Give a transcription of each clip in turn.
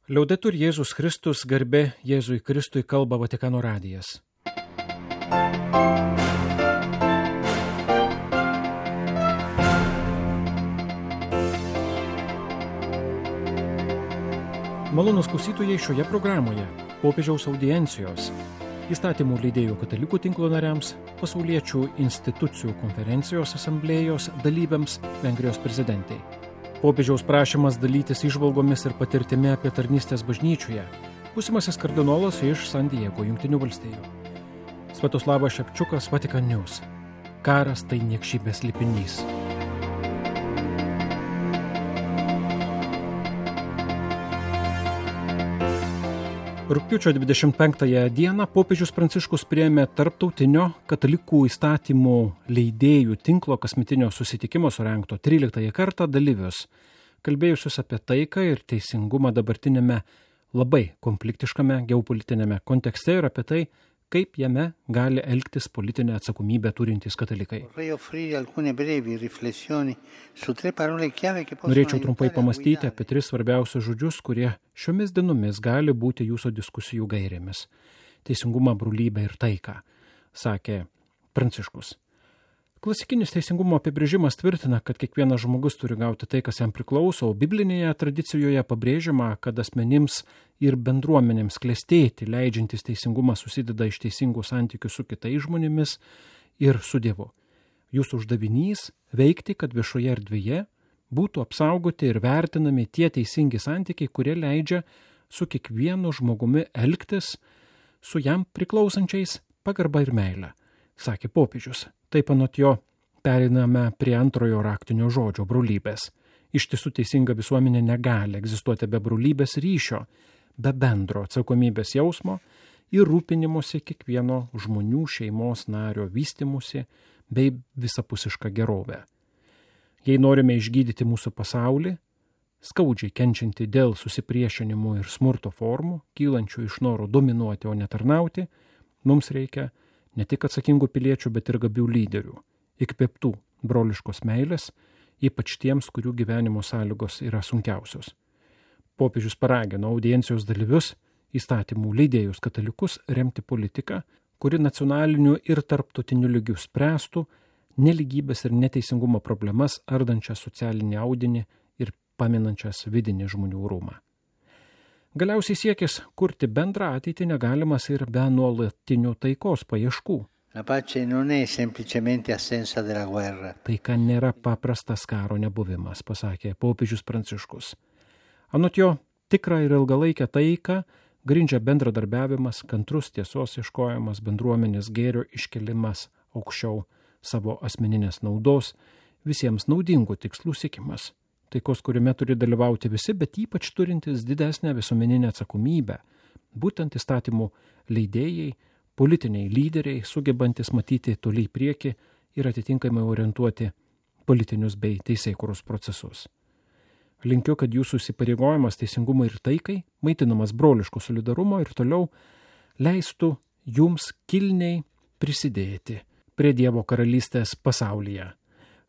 Liaudetur Jėzus Kristus, garbė Jėzui Kristui, kalba Vatikano radijas. Malonūs klausytojai, šioje programoje popiežiaus audiencijos, įstatymų leidėjų katalikų tinklo nariams, pasauliečių institucijų konferencijos asamblėjos dalyviams, Vengrijos prezidentai. Popiežiaus prašymas dalytis įžvalgomis ir patirtimi apie tarnystės bažnyčioje. Būsimasis kardinolas iš San Diego, Jungtinių valstijų. Sviatoslavas Šepčiukas, Vatikan News. Karas tai niekšybės lipinys. Rugpjūčio 25 dieną popiežius Pranciškus priėmė tarptautinio katalikų įstatymų leidėjų tinklo kasmetinio susitikimo surengto 13 kartą dalyvius, kalbėjusius apie taiką ir teisingumą dabartinėme labai konfliktiškame geopolitinėme kontekste ir apie tai, kaip jame gali elgtis politinę atsakomybę turintys katalikai. Norėčiau trumpai pamastyti apie 3 svarbiausius žodžius, kurie šiomis dienomis gali būti jūsų diskusijų gairėmis. Teisingumą, brolybę ir taiką, sakė Pranciškus. Klasikinis teisingumo apibrėžimas tvirtina, kad kiekvienas žmogus turi gauti tai, kas jam priklauso, o biblinėje tradicijoje pabrėžiama, kad asmenims ir bendruomenėms klestėti leidžiantis teisingumą susideda iš teisingų santykių su kitais žmonėmis ir su Dievu. Jūsų uždavinys veikti, kad viešoje erdvėje būtų apsaugoti ir vertinami tie teisingi santykiai, kurie leidžia su kiekvienu žmogumi elgtis su jam priklausančiais pagarba ir meile, sakė popiežius. Taip anot jo pereiname prie antrojo raktinio žodžio – brolybės. Iš tiesų teisinga visuomenė negali egzistuoti be brolybės ryšio, be bendro atsakomybės jausmo ir rūpinimusi kiekvieno žmonių šeimos nario vystimusi bei visapusišką gerovę. Jei norime išgydyti mūsų pasaulį, skaudžiai kenčianti dėl susipriešinimų ir smurto formų, kylančių iš noro dominuoti, o ne tarnauti, mums reikia ne tik atsakingų piliečių, bet ir gabių lyderių, įkvėptų broliškos meilės, ypač tiems, kurių gyvenimo sąlygos yra sunkiausios. Popiežius paragino audiencijos dalyvius, įstatymų leidėjus katalikus remti politiką, kuri nacionaliniu ir tarptautiniu lygiu spręstų nelygybės ir neteisingumo problemas, ardančias socialinį audinį ir paminančias vidinį žmonių orumą. Galiausiai siekis kurti bendrą ateitį negalimas ir be nuolatinių taikos paieškų. Taika nėra paprastas karo nebuvimas, pasakė popiežius Pranciškus. Anot jo, tikrą ir ilgalaikę taiką grindžia bendradarbiavimas, kantrus tiesos ieškojimas, bendruomenės gėrio iškelimas aukščiau savo asmeninės naudos, visiems naudingų tikslų siekimas. Taikos kūrime turi dalyvauti visi, bet ypač turintys didesnę visuomeninę atsakomybę, būtent įstatymų leidėjai, politiniai lyderiai, sugebantis matyti toli į priekį ir atitinkamai orientuoti politinius bei teisėkūros procesus. Linkiu, kad jūsų įsipareigojimas teisingumui ir taikai, maitinamas broliško solidarumo ir toliau leistų jums kilniai prisidėti prie Dievo karalystės pasaulyje,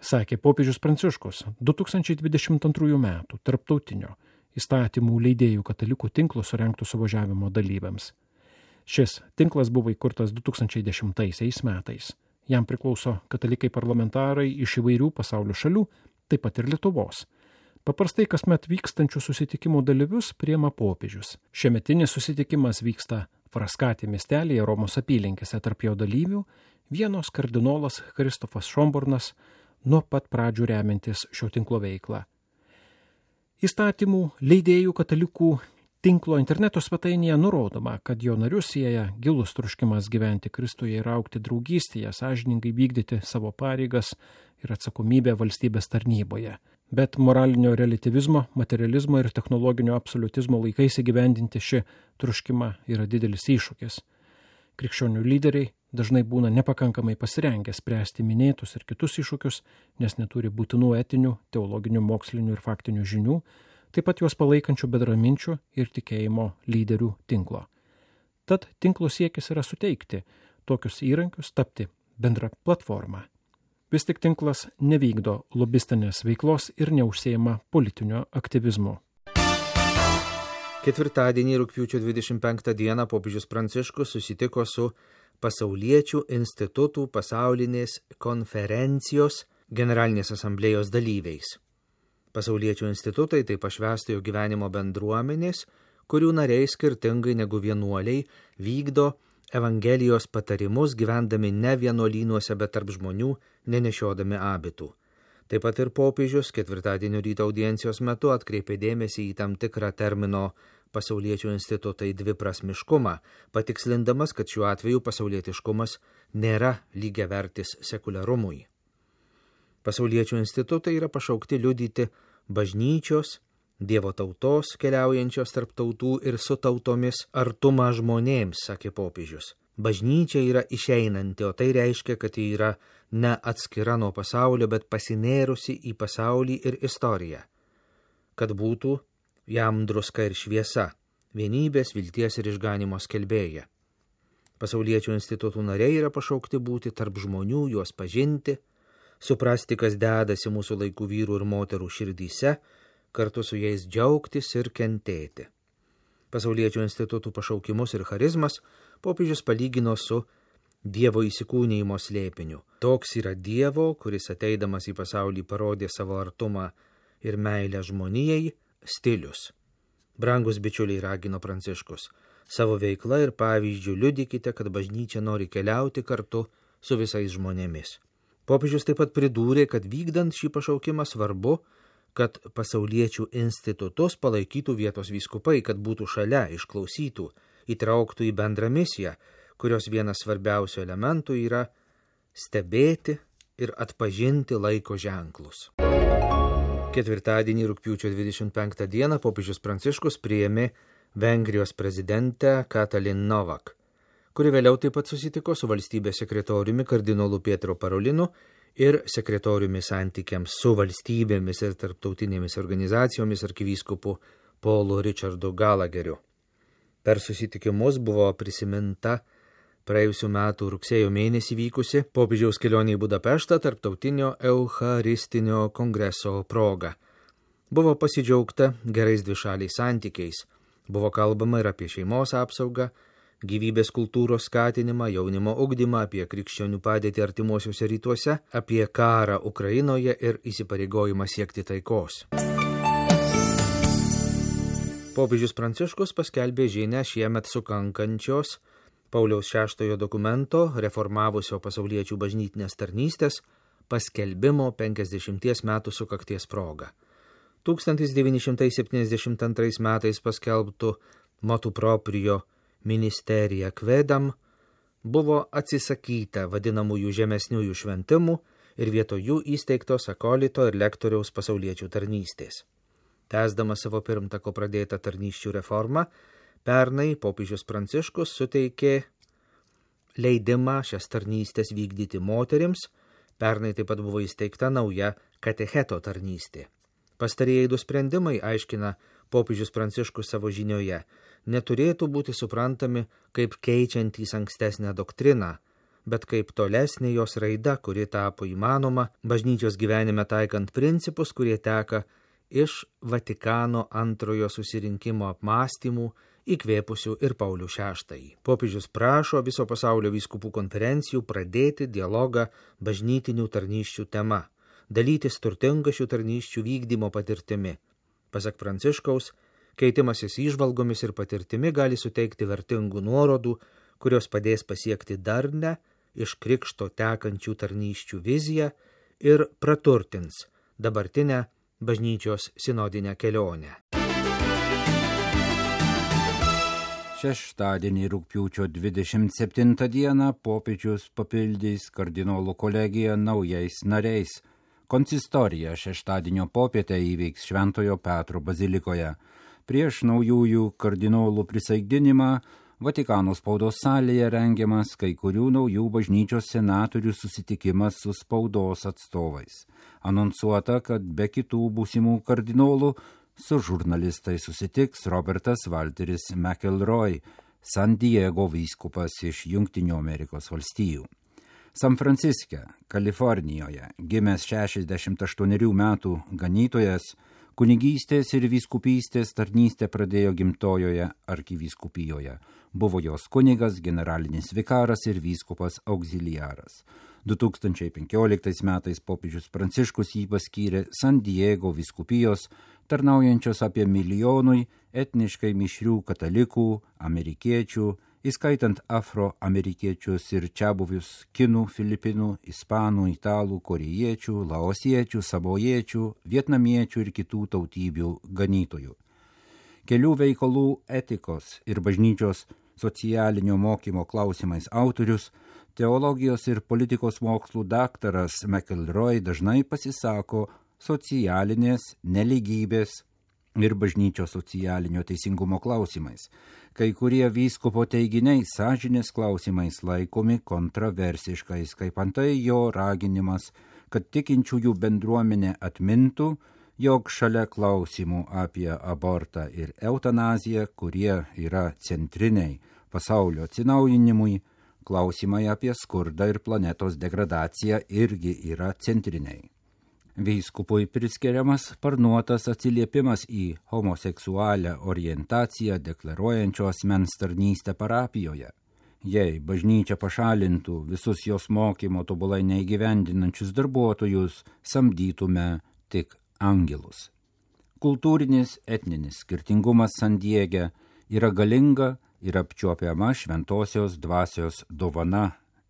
sakė popiežius Pranciškus 2022 metų tarptautinio įstatymų leidėjų katalikų tinklo surengtų suvažiavimo dalyviams. Šis tinklas buvo įkurtas 2010 metais. Jam priklauso katalikai parlamentarai iš įvairių pasaulio šalių, taip pat ir Lietuvos. Paprastai kasmet vykstančių susitikimų dalyvius priima popiežius. Šiemetinis susitikimas vyksta Fraskati miestelyje Romos apylinkėse, tarp jo dalyvių vienos kardinolas Kristofas Šombornas, nuo pat pradžių remiantis šio tinklo veiklą. Įstatymų leidėjų katalikų tinklo interneto svetainėje nurodoma, kad jo narius sieja gilus troškimas gyventi Kristuje ir augti draugystėje, sąžiningai vykdyti savo pareigas ir atsakomybę valstybės tarnyboje. Bet moralinio relativizmo, materializmo ir technologinio absoliutizmo laikais įgyvendinti šį troškimą yra didelis iššūkis. Krikščionių lyderiai dažnai būna nepakankamai pasirengę spręsti minėtus ir kitus iššūkius, nes neturi būtinų etinių, teologinių, mokslinių ir faktinių žinių, taip pat juos palaikančių bendraminčių ir tikėjimo lyderių tinklo. Tad tinklo siekis yra suteikti tokius įrankius, tapti bendra platforma. Vis tik tinklas nevykdo lobistinės veiklos ir neužsiima politinio aktyvizmu. Ketvirtadienį rugpjūčio 25 dieną popiežius Pranciškus susitiko su Pasauliečių institutų pasaulinės konferencijos generalinės asamblėjos dalyviais. Pasauliečių institutai tai pašvęstojo gyvenimo bendruomenės, kurių nariai skirtingai negu vienuoliai vykdo Evangelijos patarimus gyvendami ne vienuolynuose, bet tarp žmonių, nenešiodami abitų. Taip pat ir popiežius ketvirtadienio ryto audiencijos metu atkreipė dėmesį į tam tikrą termino pasauliečių institutai dviprasmiškumą, patikslindamas, kad šiuo atveju pasaulietiškumas nėra lygiavertis sekuliarumui. Pasauliečių institutai yra pašaukti liudyti bažnyčios, Dievo tautos, keliaujančios tarp tautų ir su tautomis artumą žmonėms, sakė popiežius. Bažnyčia yra išeinanti, o tai reiškia, kad ji yra ne atskira nuo pasaulio, bet pasinėrusi į pasaulį ir istoriją. Kad būtų jam druska ir šviesa, vienybės, vilties ir išganimo skelbėja. Pasauliečių institutų nariai yra pašaukti būti tarp žmonių, juos pažinti, suprasti, kas dedasi mūsų laikų vyrų ir moterų širdyse, kartu su jais džiaugtis ir kentėti. Pasauliečių institutų pašaukimus ir charizmas popiežius palygino su Dievo įsikūnijimo slėpiniu. Toks yra Dievo, kuris ateidamas į pasaulį parodė savo artumą ir meilę žmonijai, stilius. Brangus bičiuliai, ragino Pranciškus, savo veikla ir pavyzdžių liudykite, kad bažnyčia nori keliauti kartu su visais žmonėmis. Popiežius taip pat pridūrė, kad vykdant šį pašaukimą svarbu, kad pasauliečių institutus palaikytų vietos vyskupai, kad būtų šalia, išklausytų, įtrauktų į bendrą misiją, kurios vienas svarbiausių elementų yra stebėti ir atpažinti laiko ženklus. Ketvirtadienį rugpjūčio 25 dieną popiežius Pranciškus priėmė Vengrijos prezidentę Katalin Novak, kuri vėliau taip pat susitiko su valstybės sekretoriumi kardinolu Pietro Parolinu ir sekretoriumi santykiams su valstybėmis ir tarptautinėmis organizacijomis arkivyskupu Paulu Richardu Gallagheriu. Per susitikimus buvo prisiminta praėjusių metų rugsėjo mėnesį vykusi popiežiaus kelionė į Budapeštą tarptautinio Eucharistinio kongreso proga. Buvo pasidžiaugta gerais dvišaliais santykiais, buvo kalbama ir apie šeimos apsaugą, gyvybės kultūros skatinimą, jaunimo ugdymą, apie krikščionių padėtį artimuosiuose rytuose, apie karą Ukrainoje ir įsipareigojimą siekti taikos. Popiežius Pranciškus paskelbė žinią šiemet sukankančios Pauliaus VI dokumento reformavusio pasauliečių bažnytinės tarnystės paskelbimo 50 metų sukakties proga. 1972 metais paskelbtų motu proprio ministerija Kvedam buvo atsisakyta vadinamųjų žemesniųjų šventimų ir vietoj jų įsteigtos akolito ir lektoriaus pasauliečių tarnystės. Tęsdamas savo pirmtako pradėtą tarnysčių reformą, pernai popiežius Pranciškus suteikė leidimą šias tarnystės vykdyti moterims, pernai taip pat buvo įsteigta nauja katecheto tarnystė. Pastarieji du sprendimai, aiškina popiežius Pranciškus savo žinioje, neturėtų būti suprantami kaip keičiantys ankstesnę doktriną, bet kaip tolesnė jos raida, kuri tapo įmanoma bažnyčios gyvenime taikant principus, kurie teka iš Vatikano antrojo susirinkimo apmąstymų, įkvėpusių ir Paulių VI. Popiežius prašo viso pasaulio vyskupų konferencijų pradėti dialogą bažnytinių tarnysčių tema, dalytis turtingą šių tarnysčių vykdymo patirtimi. Pasak Pranciškaus, keitimasis įžvalgomis ir patirtimi gali suteikti vertingų nuorodų, kurios padės pasiekti darnę iš krikšto tekančių tarnysčių viziją ir praturtins dabartinę bažnyčios sinodinę kelionę. Šeštadienį rugpjūčio 27 dieną popiežius papildys kardinolų kolegiją naujais nariais. Konsistorija šeštadienio popietę įvyks Šventojo Petro bazilikoje. Prieš naujųjų kardinolų prisaikdinimą Vatikano spaudos salėje rengiamas kai kurių naujų bažnyčios senatorių susitikimas su spaudos atstovais. Anonsuota, kad be kitų būsimų kardinolų su žurnalistais susitiks Robertas Walteris McElroy, San Diego vyskupas iš Jungtinių Amerikos valstijų. San Franciske, Kalifornijoje, gimęs 68 metų ganytojas, Kunigystės ir vyskupystės tarnystę pradėjo gimtojoje arkivyskupijoje. Buvo jos kunigas, generalinis vikaras ir vyskupas auxiliaras. 2015 metais popiežius Pranciškus jį paskyrė San Diego vyskupijos, tarnaujančios apie milijonui etniškai mišrių katalikų, amerikiečių, įskaitant afroamerikiečius ir čiabuvius kinų, filipinų, ispanų, italų, korėjiečių, laosiečių, sabojiečių, vietnamiečių ir kitų tautybių ganytojų. Kelių veikalų etikos ir bažnyčios socialinio mokymo klausimais autorius, teologijos ir politikos mokslų daktaras McElroy dažnai pasisako socialinės nelygybės ir bažnyčios socialinio teisingumo klausimais. Kai kurie vyskupo teiginiai sąžinės klausimais laikomi kontroversiškais, kaip antai jo raginimas, kad tikinčiųjų bendruomenė atmintų, jog šalia klausimų apie abortą ir eutanaziją, kurie yra centriniai pasaulio atsinaujinimui, klausimai apie skurdą ir planetos degradaciją irgi yra centriniai. Vyskupui priskiriamas sparnuotas atsiliepimas į homoseksualią orientaciją deklaruojančio asmens tarnystę parapijoje. Jei bažnyčia pašalintų visus jos mokymo tobulai neįgyvendinančius darbuotojus, samdytume tik angelus. Kultūrinis etninis skirtingumas San Diege yra galinga ir apčiuopiama šventosios dvasios dovana.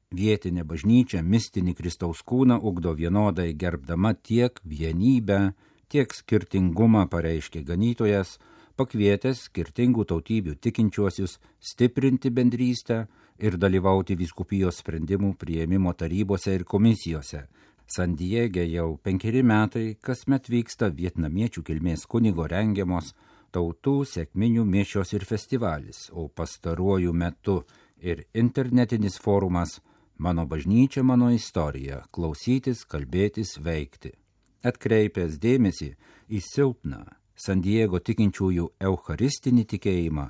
Vietinė bažnyčia mistinį Kristaus kūną ugdo vienodai gerbdama tiek vienybę, tiek skirtingumą, pareiškė ganytojas, pakvietęs skirtingų tautybių tikinčiuosius stiprinti bendrystę ir dalyvauti vyskupijos sprendimų priėmimo tarybose ir komisijose. San Diege jau 5 metai kasmet vyksta vietnamiečių kilmės kunigo rengiamos tautų sekminių mišios ir festivalis, o pastaruoju metu ir internetinis forumas Mano bažnyčia, mano istorija – klausytis, kalbėtis, veikti. Atkreipęs dėmesį į silpną San Diego tikinčiųjų eucharistinį tikėjimą,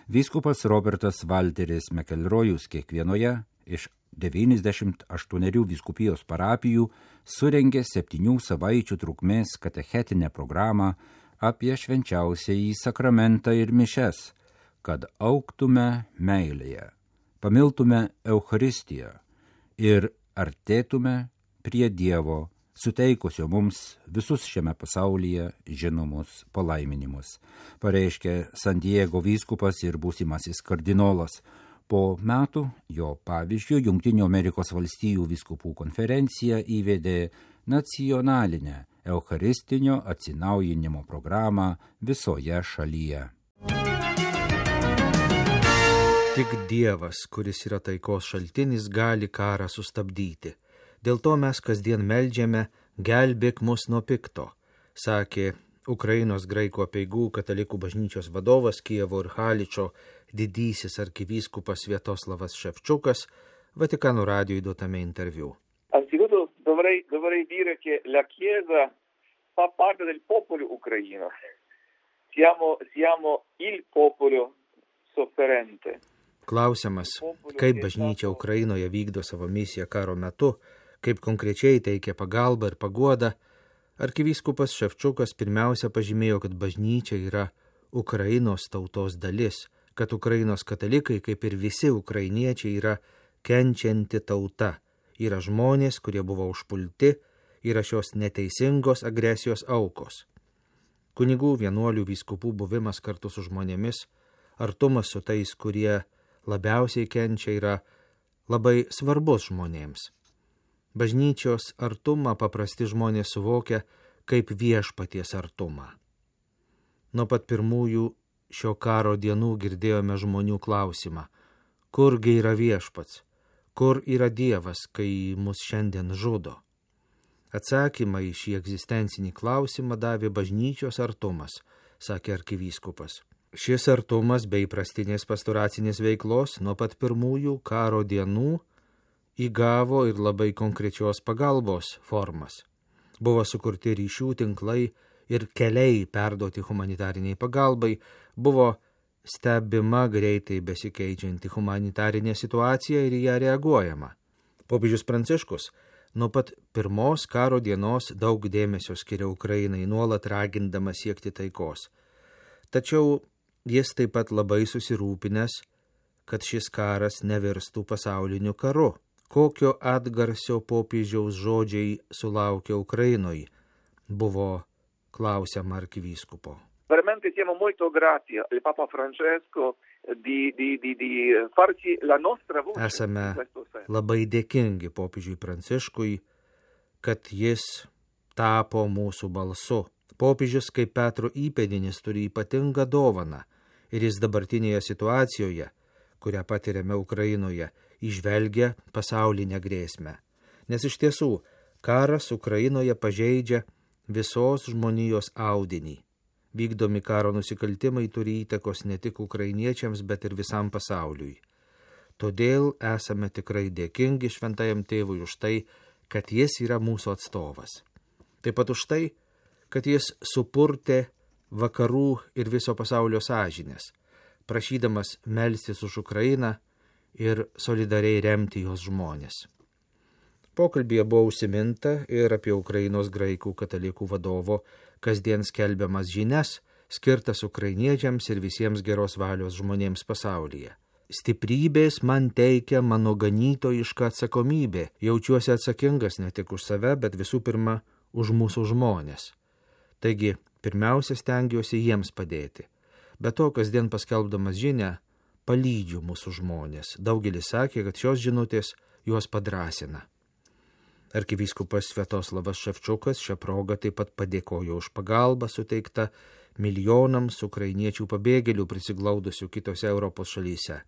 vyskupas Robertas Walteris McElroyus kiekvienoje iš 98 vyskupijos parapijų surengė 7 savaičių trukmės katechetinę programą apie švenčiausiąjį sakramentą ir mišes, kad augtume meilėje, pamiltume Eucharistiją ir artėtume prie Dievo, suteikusio mums visus šiame pasaulyje žinomus palaiminimus, pareiškė San Diego vyskupas ir būsimasis kardinolas. Po metų jo pavyzdžiu Jungtinių Amerikos valstijų vyskupų konferencija įvedė nacionalinę eucharistinio atsinaujinimo programą visoje šalyje. Tik Dievas, kuris yra taikos šaltinis, gali karą sustabdyti. Dėl to mes kasdien meldžiame, gelbėk mus nuo pikto, sakė Ukrainos graikų apeigų katalikų bažnyčios vadovas Kijevo ir Haličo didysis arkivyskupas Sviatoslavas Ševčukas Vatikano radijui duotame interviu. Anzitutto dovrei dire che la Chiesa fa parte del popolo ucraino. Siamo il popolo sofferente. Klausimas, kaip bažnyčia Ukrainoje vykdo savo misiją karo metu, kaip konkrečiai teikia pagalbą ir paguodą, arkivyskupas Ševčukas pirmiausia pažymėjo, kad bažnyčia yra Ukrainos tautos dalis, kad Ukrainos katalikai, kaip ir visi ukrainiečiai, yra kenčianti tauta, yra žmonės, kurie buvo užpulti, yra šios neteisingos agresijos aukos. Kunigų, vienuolių, vyskupų buvimas kartu su žmonėmis, artumas su tais, kurie labiausiai kenčia, yra labai svarbus žmonėms. Bažnyčios artumą paprasti žmonės suvokia kaip viešpaties artumą. Nuo pat pirmųjų šio karo dienų girdėjome žmonių klausimą, kurgi yra viešpats, kur yra Dievas, kai mus šiandien žudo. Atsakymą į šį egzistencinį klausimą davė bažnyčios artumas, sakė arkivyskupas. Šis artumas bei įprastinės pastoracinės veiklos nuo pat pirmųjų karo dienų įgavo ir labai konkrečios pagalbos formas. Buvo sukurti ryšių tinklai ir keliai perduoti humanitariniai pagalbai, buvo stebima greitai besikeičianti humanitarinė situacija ir į ją reaguojama. Popiežius Pranciškus Nuo pat pirmos karo dienos daug dėmesio skiria Ukrainai, nuolat ragindama siekti taikos. Tačiau jis taip pat labai susirūpinęs, kad šis karas nevirstų pasauliniu karu. Kokio atgarsio popiežiaus žodžiai sulaukia Ukrainoje, buvo klausiama arkivyskupo. Veramente siamo molto grati al Papa Francesco di farci la nostra voce. Esame labai dėkingi popiežiui Pranciškui, kad jis tapo mūsų balsu. Popiežius kaip Petro įpėdinis turi ypatingą dovaną ir jis dabartinėje situacijoje, kurią patiriame Ukrainoje, įžvelgia pasaulinę grėsmę. Nes iš tiesų, karas Ukrainoje pažeidžia visos žmonijos audinį. Vykdomi karo nusikaltimai turi įtakos ne tik ukrainiečiams, bet ir visam pasauliui. Todėl esame tikrai dėkingi šventajam tėvui už tai, kad jis yra mūsų atstovas. Taip pat už tai, kad jis supurtė vakarų ir viso pasaulio sąžinės, prašydamas melstis už Ukrainą ir solidariai remti jos žmonės. Pokalbyje buvo užsiminta ir apie Ukrainos graikų katalikų vadovo kasdien skelbiamas žinias, skirtas ukrainiečiams ir visiems geros valios žmonėms pasaulyje. Stiprybės man teikia mano ganytojiška atsakomybė. Jaučiuosi atsakingas ne tik už save, bet visų pirma už mūsų žmonės. Taigi, pirmiausia stengiuosi jiems padėti. Be to, kasdien paskelbdamas žinią, palydžiu mūsų žmonės. Daugelis sakė, kad šios žinutės juos padrąsina. Arkivyskupas Sviatoslavas Ševčiukas šią progą taip pat padėkojo už pagalbą suteiktą milijonams ukrainiečių pabėgėlių prisiglaudusių kitose Europos šalyse.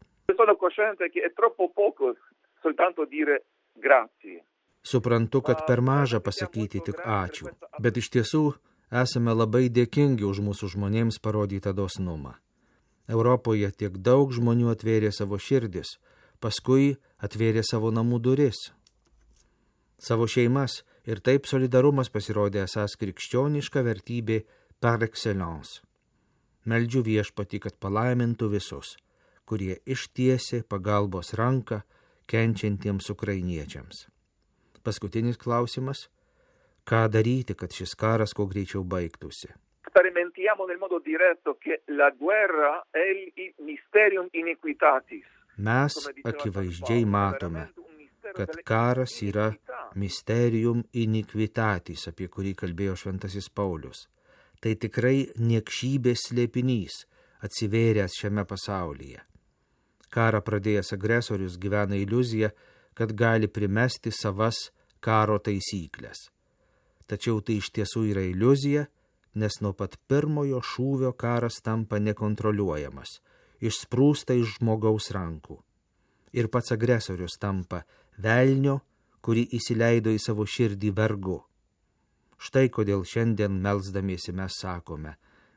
Suprantu, kad per maža pasakyti tik ačiū, bet iš tiesų esame labai dėkingi už mūsų žmonėms parodytą dosnumą. Europoje tiek daug žmonių atvėrė savo širdis, paskui atvėrė savo namų duris, savo šeimas, ir taip solidarumas pasirodė esąs krikščioniška vertybė par excellence. Meldžiu Viešpatį, kad palaimintų visus, kurie ištiesė pagalbos ranką kenčiantiems ukrainiečiams. Paskutinis klausimas: ką daryti, kad šis karas kuo greičiau baigtųsi? Sperimentiamo nel modo diretto che la guerra è il mysterium iniquitatis. Mes akivaizdžiai matome, kad karas yra mysterium iniquitatis, apie kurį kalbėjo šventasis Paulius. Tai tikrai niekšybės slėpinys, atsivėręs šiame pasaulyje. Karą pradėjęs agresorius gyvena iliuzija, kad gali primesti savas karo taisyklės. Tačiau tai iš tiesų yra iliuzija, nes nuo pat pirmojo šūvio karas tampa nekontroliuojamas, išsprūsta iš žmogaus rankų. Ir pats agresorius tampa velnio, kurį įsileido į savo širdį vergu. Štai kodėl šiandien melsdamiesi mes sakome: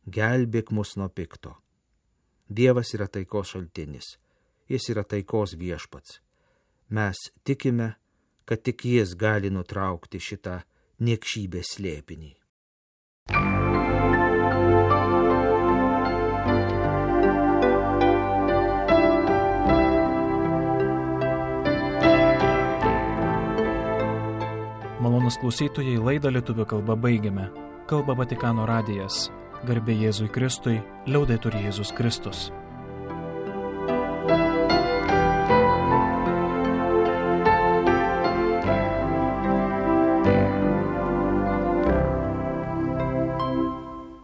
gelbėk mus nuo pikto. Dievas yra taikos šaltinis, jis yra taikos viešpats. Mes tikime, kad tik jis gali nutraukti šitą niekšybės slėpinį. Malonūs klausytojai, laidą lietuvių kalba baigiame. Kalba Vatikano radijas. Garbė Jėzui Kristui, liaudetur Jėzus Kristus.